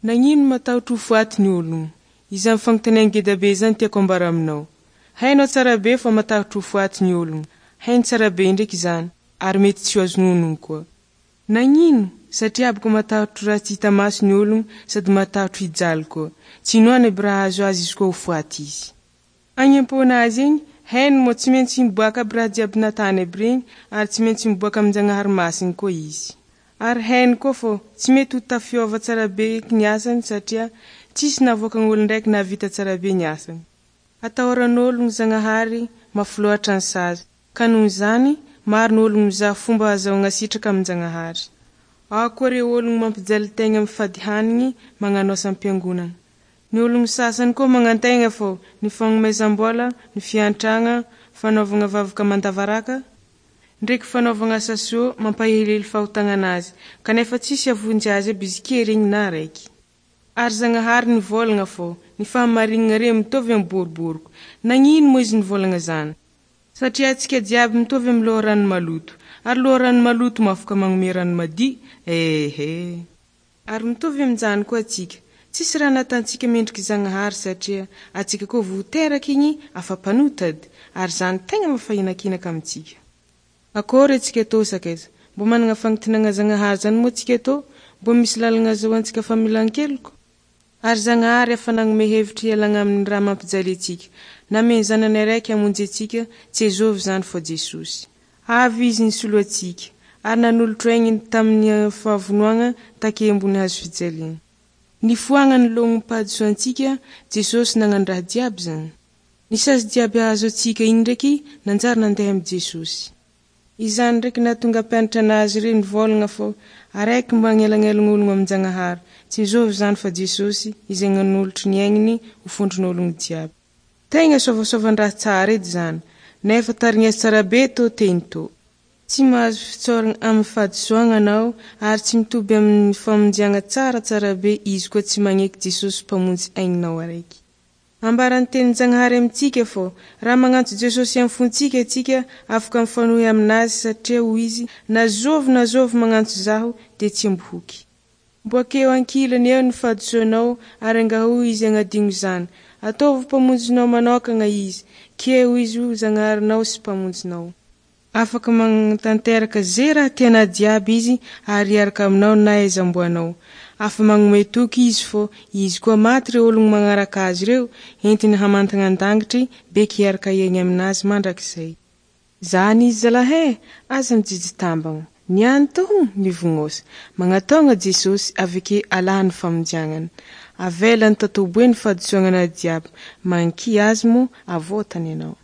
Nagnino matahotry ho faty ny ologno? Izany fagnontania ngedabe izany tiako ambara aminao. Hainao tsarabe fa matahotry ho faty ny ologno, hainy tsarabe ndraiky izany, ary mety tsy ho azony onogno koa. Nagnino? Satria boka matahotry raha tsy hita maso ny ologno sady matahotry hijaly koa. Tsy inoany aby raha hahazo azy izy koa ho faty izy. Agny am-ponazy agny, hainy moa tsy maintsy miboaka aby raha jiaby natany aby regny ary tsy maintsy miboaka amin-Jagnahary Masigny koa izy. Ary hainy koa fô tsy mety ho tafiôva tsarabe eky ny asany satria tsisy navoakagn'olon-draiky nahavita tsarabe ny asany. Atahoran'ologno Zagnahary, mafy loatra ny sazy. Ka noho izany, maro ny ologno mizaha fomba ahazahoagna sitraka amin-Jagnahary. Ao koa reo ologno mampijaly tegna mifady hanigny, magnano asam-piangonagna. Ny ologno sasany koa magnantegna fô ny fagnomezam-bola, ny fiantragna, fanaovagna vavaka mandavaraka, ndraiky fanaovagna asa soa mampahelihely fahotagnanazy, kanefa tsisy hahavonjy azy aby izy ke regny na raiky. Ary Zagnahary nivôlagna fô ny fahamarignana reo mitovy amy boriboriko. Nagnino moa izy nivôlagna zany? Satria antsika jiaby mitovy amy loharano maloto. Ary loharano maloto moa afaka magnome rano madio? Ehe. Ary mitovy aminjany koa atsika. Tsisy raha natantsika mendriky Zagnahary satria atsika koa vo teraky igny afa mpanota edy. Ary zany tegna mampahinakinaka amitsika. Akôry atsika tô sakaiza? Mbô managna fagnontaniagna Zagnahary zany moa atsika tô? Mbô misy lalagna azahoantsika famelan-keloko? Ary Zagnahary efa nagnome hevitry hialagna amin'ny raha mampijaly atsika. Nameny zanany araiky hamonjy atsika, tsy azovy zany fa Jesosy. Avy Izy nisolo atsika, ary nanolotro aigniny tamin'ny fahavonoagna take ambony hazo fijaliagna. Nifoagna ny lognom-pahadisoantsika, Jesosy nagnano raha jiaby zany. Ny sazy jiaby hahazo atsika igny ndraiky nanjary nandeha amy Jesosy. Izany ndraiky nahatonga mpianatra anazy reo nivolagna fô araiky magnelagnelagn'ologno amin-Jagnahary. Tsy azovy zany fa Jesosy izay nanolotry ny aigniny ho fondron'ologno jiaby. Tegna sovasovan-draha tsara edy zany, nefa tarignesy tsara be tô teny tô. Tsy mahazo fitsaorana amin'ny fahadisoagna anao ary tsy mitoby amin'ny famonjiagna tsara tsara be izy koa tsy magneky Jesosy Mpamonjy aigninao araiky. Ambaran'ny tenin-Jagnahary amintsika fô raha magnantso Jesosy amin'ny fontsika atsika afaka mifanohy aminazy satria hoy izy na zovy na zovy magnantso zaho de tsy ambohoky. Mbo akeo ankilany eo ny fahadisoanao ary angahao izy agnadigno zany. Ataovy mpamonjinao manokagna izy, keo izy ho Zagnaharinao sy mpamonjinao. Afaka magnatanteraka ze raha tianao jiaby izy ary hiaraka aminao na aiza omboanao. Afa magnome toky izy fô izy koa maty reo ologno magnaraka azy reo entiny hamantagna an-dangitry beky hiaraka hiaigny aminazy mandrakizay. Zany izy zalahy e! Aza mijijy tambagna. Niany tô mivognôsa. Magnatôgna Jesosy aveke alahany famonjiagnany. Avelany tatoboe ny fahadisoagnanao jiaby. Magniky azy moa avôtany anao.